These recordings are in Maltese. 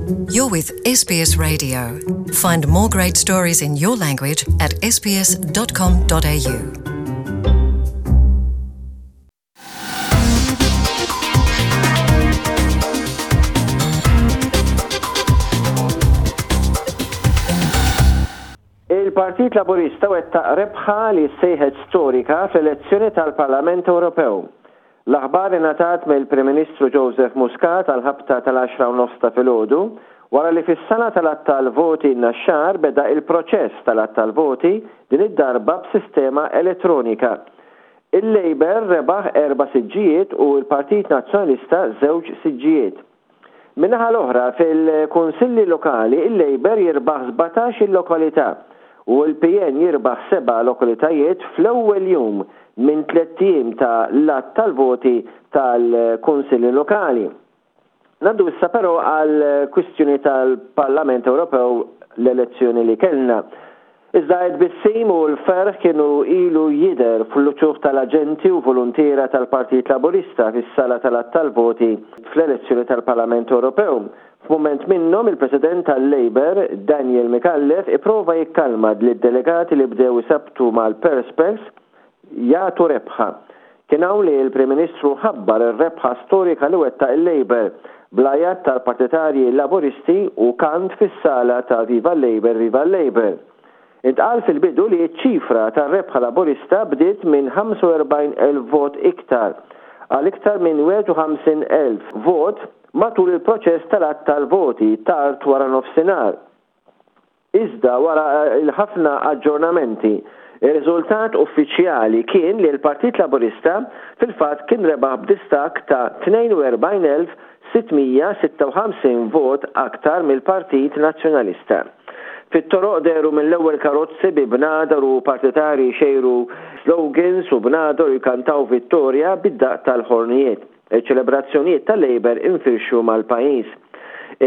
You're with SBS Radio. Find more great stories in your language at sbs.com.au. Il-Partit Laburista wettaq rebħa li ssejħet storika fl-elezzjoni tal-Parlament Ewropew. L-aħbar ingħatat mill-Prim Ministru Joseph Muscat għall-ħabta tal-għaxra u nofs ta' filgħodu, wara li fis-sala tal-għadd tal-voti n-Naxxar beda il-proċess tal-għadd tal-voti, din id-darba b'sistema elettronika. Il-Labour rebaħ erba' siġġijiet u l-Partit Nazzjonalista żewġ siġġijiet. Min-naħa l-oħra, fil-Kunsilli Lokali il-Labour jirbaħ 17-il lokalità u l-PN jirbaħ seba' lokalitajiet fl-ewwel jum minn tlett ijiem ta' l-għadd tal-voti tal-Kunsilli Lokali. Ngħaddu issa però għall-kwistjoni tal-Parlament Ewropew l-elezzjoni li kellna. Iżda t-tbissim u l-ferħ kienu ilu jidher fl-uċuħ tal-aġenti u voluntiera tal-Partit Laburista fis-sala tal-għadd tal-voti fl-elezzjoni tal-Parlament Ewropew. F'mument minnhom il-President tal-Labour, Daniel Micallef, ipprova jikkalma lid-delegati li bdew isabbtu mal-perspex jagħtu rebħa. Kien hawn li l-Prim Ministru ħabbar ir-rebħa storika li wettaq il-Labour, bl-għajat tal-partitarji Laburisti u kant fis-sala ta' Viva l-Labour, Viva l-Labour. Intqal fil-bidu li ċ-ċifra tar-rebħa Laburista bdiet minn 45,000 vot iktar għal iktar minn 51,000 vot matul il-proċess tal-għadd tal-voti tard waranofsinhar. Iżda wara l-ħafna aġġornamenti, ir-riżultat uffiċjali kien li l-Partit Laburista fil-fatt kien rebaħ b'distakk ta' 42,656 vot aktar mill-Partit Nazzjonalista. Fit-toroq dehru mill-ewwel karozzi bi bnadar u partitarji jxejru slogans u bnadar u jkantaw vittorja bid-daqq tal-ħornijiet. Iċ-ċelebrazzjonijiet tal-Labour infirxu mal-pajjiż.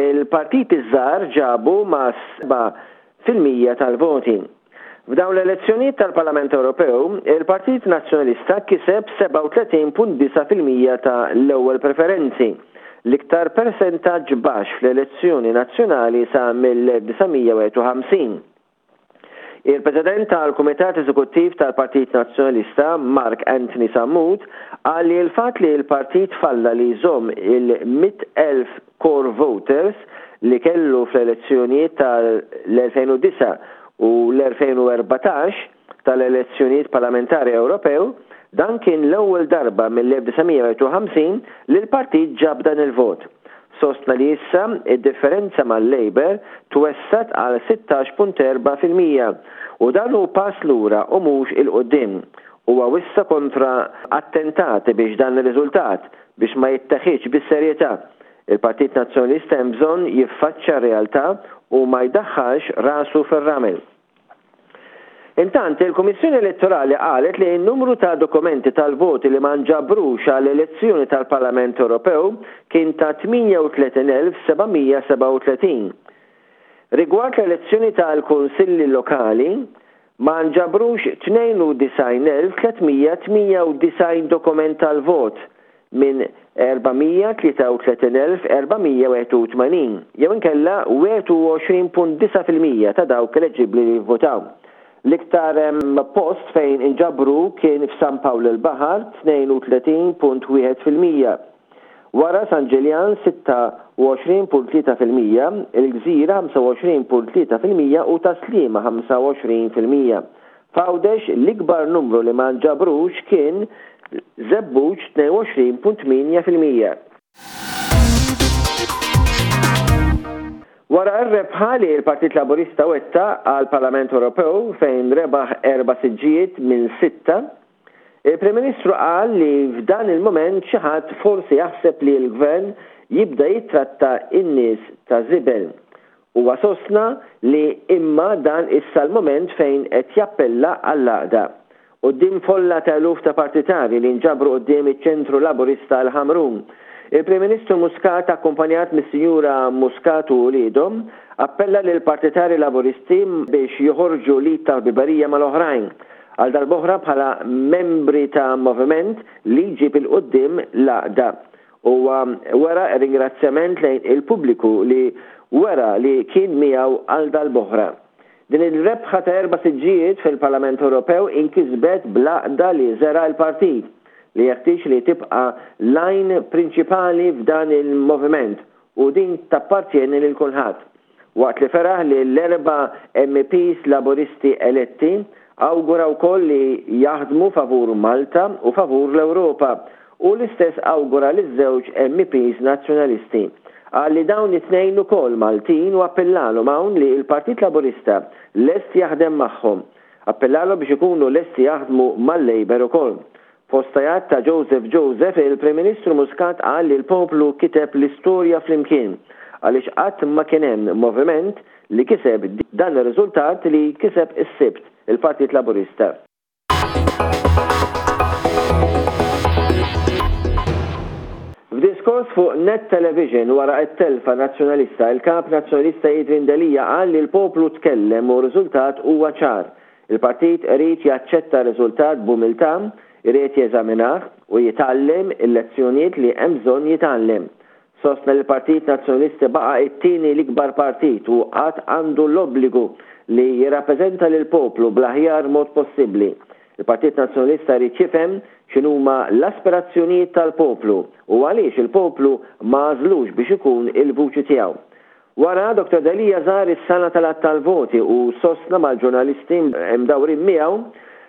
Il-partiti ż-żgħar ġabu ma' 7% tal-voti. F'dawn l-elezzjonijiet tal-Parlament Ewropew, il-Partit Nazzjonalista kiseb 37.9% ta' l-ewwel preferenzi, l-iktar persentaġġ baxx fl-elezzjoni nazzjonali sa mill-1951. Il-President tal-Kumitat Eżekuttiv tal-Partit Nazzjonalista, Mark Anthony Sammut, qal li l-fatt li l-partit falla li jżomm il-100,000 core voters li kellu fl-elezzjonijiet tal-2009 u l-2014 tal-elezzjonijiet parlamentari Ewropew, dan kien l-ewwel darba mill-1951 li l-partit ġab dan il-vot. Sostna li issa id-differenza mal-Labour twessgħet għal 16.4% u dan hu pass lura u mhux 'il quddiem. Huwa wissa kontra attentati biex dan ir-riżultat biex ma jitteħidx bis-serjetà. Il-Partit Nazzjonalista hemm bżonn jiffaċċja r-realtà u ma jdaħħalx rasu fir-ramel. Intant, il-Kummissjoni Elettorali qalet li n-numru ta' dokumenti tal-voti li ma nġabrux għall-elezzjoni tal-Parlament Ewropew kien ta' 38,737. Rigward l-elezzjoni tal-Kunsilli Lokali, ma nġabrux 92,398 dokument tal-vot minn 433,481, jew inkella 21.9% ta' dawk eleġibbli li jivvutaw. L-iktar post fejn inġabru kien f'San Pawl il-Baħar, 32.1%. Wara San Ġiljan, 26.3%, il-Gżira, 25.3% u Tas-Sliema, 25%. F'Għawdex l-ikbar numru li ma nġabrux kien Żebbuġ 22.8%. Wara r-rebħa li l-Partit Laburista wettaq għall-Parlament Ewropew fejn rebaħ erba' siġġijiet minn sitta, il-Prim Ministru qal li f'dan il-mument xi ħadd forsi jaħseb li l-Gvern jibda jittratta n-nies ta' żibel. Huwa sostna li imma dan issa l-mument fejn qed jappella għall-għaqda. Quddiem folla ta' eluf ta' partitarji li nġabru quddiem iċ-Ċentru Laburista l-Ħamrun, il-Prim Ministru Muscat akkumpanjat mis-Sinjura Muscat u uliedhom, appella lill-partitarji Laburisti biex joħorġu l-id tal-ħbiberija mal-oħrajn, għal darb'oħra bħala membri ta' moviment li jġib 'il quddiem l-għaqda. Huwa wera r-ringrazzjament lejn il-pubbliku li wera li kien miegħu għal darb'oħra. Din il-rebħa ta' erba' siġġijiet fil-Parlament Ewropew inkisbet bl-għaqda li żera' l-partit, li jeħtieġ li tibqa' l-għajn prinċipali f'dan il-moviment u din tappartjeni lil kulħadd. Waqt li feraħ lill-erba' MEPs Laburisti eletti, awgura wkoll li jaħdmu favur Malta u favur l-Ewropa u l-istess awgura liż-żewġ MEPs Nazzjonalisti. Qal li dawn it-tnejn ukoll Maltin u appellalhom hawn li l-Partit Laburista lest jaħdem magħhom. Appellalhom biex ikunu lesti jaħdmu mal-Labour ukoll. Fost għajat ta' Joseph Joseph, il-Prim Ministru Muscat qal li l-poplu kiteb l-istorja flimkien għaliex qatt ma kien hemm moviment li kiseb dan ir-riżultat li kiseb is-Sibt il-Partit Laburista. F'diskors fuq Net Television wara t-telfa Nazzjonalista, il-Kap Nazzjonalista Adrian Delia qal li l-poplu tkellem u r-riżultat huwa ċar. Il-partit irid jaċċetta r-riżultat b'umiltà, irid jeżaminah u jitgħallem il-lezzjonijiet li hemm bżonn jitgħallem. Sostna li l-Partit Nazzjonalista baqa' t-tieni l-ikbar partit u għad għandu l-obbligu li jirrappreżenta lill-poplu bl-aħjar mod possibbli. Il-Partit Nazzjonalista jrid jifhem x'inhuma l-aspirazzjonijiet tal-poplu u għaliex il-poplu ma għażlux biex ikun il-vuċi tiegħu. Wara, Dottor Delia żar is-sala tal-għadd tal-voti u sostna mal-ġurnalisti mdawrin miegħu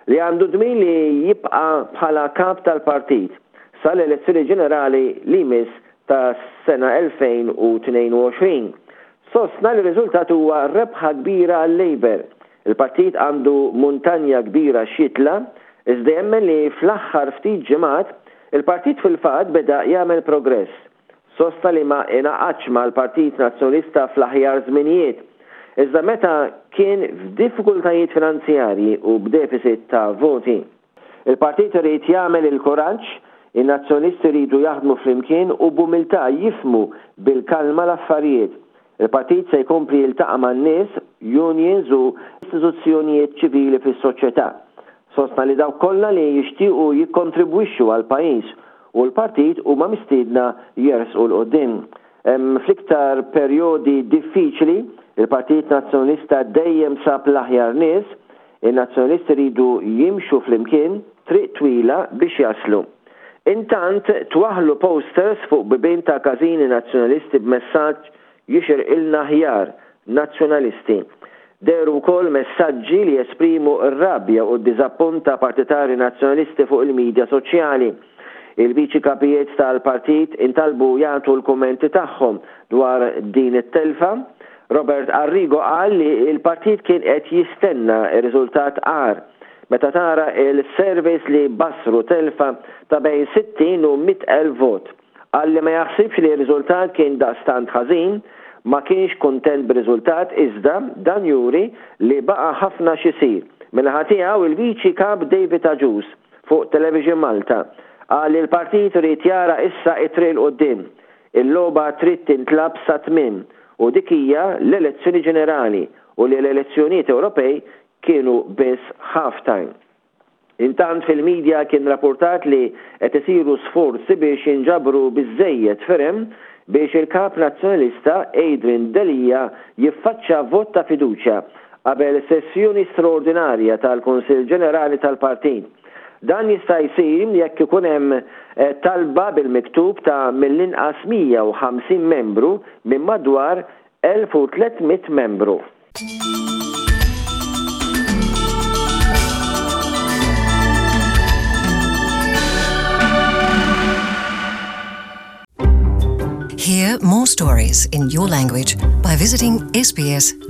li għandu dmir li jibqa' bħala kap tal-partit sal-elezzjoni ġenerali li jmiss tas-sena 2022. Sostna li r-riżultat huwa rebħa kbira għal-Labour. Il-partit għandu muntanja kbira x'jitla' iżda jemmen li fl-aħħar ftit ġimgħat il-partit fil-fatt beda jagħmel progress. Sostna li ma ingħaqadx mal-Partit Nazzjonalista fl-aħjar żminijiet, iżda meta kien f'diffikultajiet finanzjarji u b'deficit ta' voti. Il-partit irid jagħmel il-kuraġġ, in-Nazzjonalisti jridu jaħdmu flimkien u b'umiltà jifhmu bil-kalma l-affarijiet. Il-partit se jkompli jiltaqa' man-nies, unions u istituzzjonijiet ċivili fis-soċjetà. Sostna li dawk kollha li jixtiequ jikkontribwixxu għall-pajjiż u l-partit huma mistiedna jersqu 'l quddiem. Fl-iktar perjodi diffiċli, il-Partit Nazzjonalista dejjem sab l-aħjar nies. In-Nazzjonalisti jridu jimxu flimkien triq twila biex jaslu. Intant, twaħħlu posters fuq bibien ta' każini Nazzjonalisti b'messaġġ Jixirqilna aħjar, Nazzjonalisti. Dehru wkoll messaġġi li jesprimu r-rabja u d-diżappunt ta' partitarji Nazzjonalisti fuq il-midja soċjali. Il-Viċi Kapijiet tal-Partit intalbu jagħtu l-kummenti tagħhom dwar din it-telfa. Robert Arrigo qal li l-partit kien qed jistenna riżultat agħar meta tara l-surveys li bassru telfa ta' bejn 60 u 100,000 vot. Qal li ma jaħsibx li r-riżultat kien daqstant ħażin, ma kienx kuntent bir-riżultat iżda dan juri li baqa' ħafna x'isir. Min-naħa tiegħu il-Viċi Kap David Agius fuq Television Malta qal li l-partit irid jara issa t-triq 'l quddiem. Il-logħba trid tintlagħab sat-tmiem u dik hija l-elezzjoni ġenerali u li l-elezzjonijiet Ewropej kienu biss half time. Intant fil-media kien rappurtat li qed isiru sforzi biex jinġabru biżżejjed firem biex il-Kap Nazzjonalista Adrian Delia jiffaċċa vot ta' fiduċja qabel sessjoni straordinarja tal-Kunsill Ġenerali tal-Partit. Dan jista' jsir jekk ikun hemm talba bil-miktub ta' mill-inqas 150 membru minn madwar 1,300 membru. Hear more stories in your language by visiting sbs.com.au.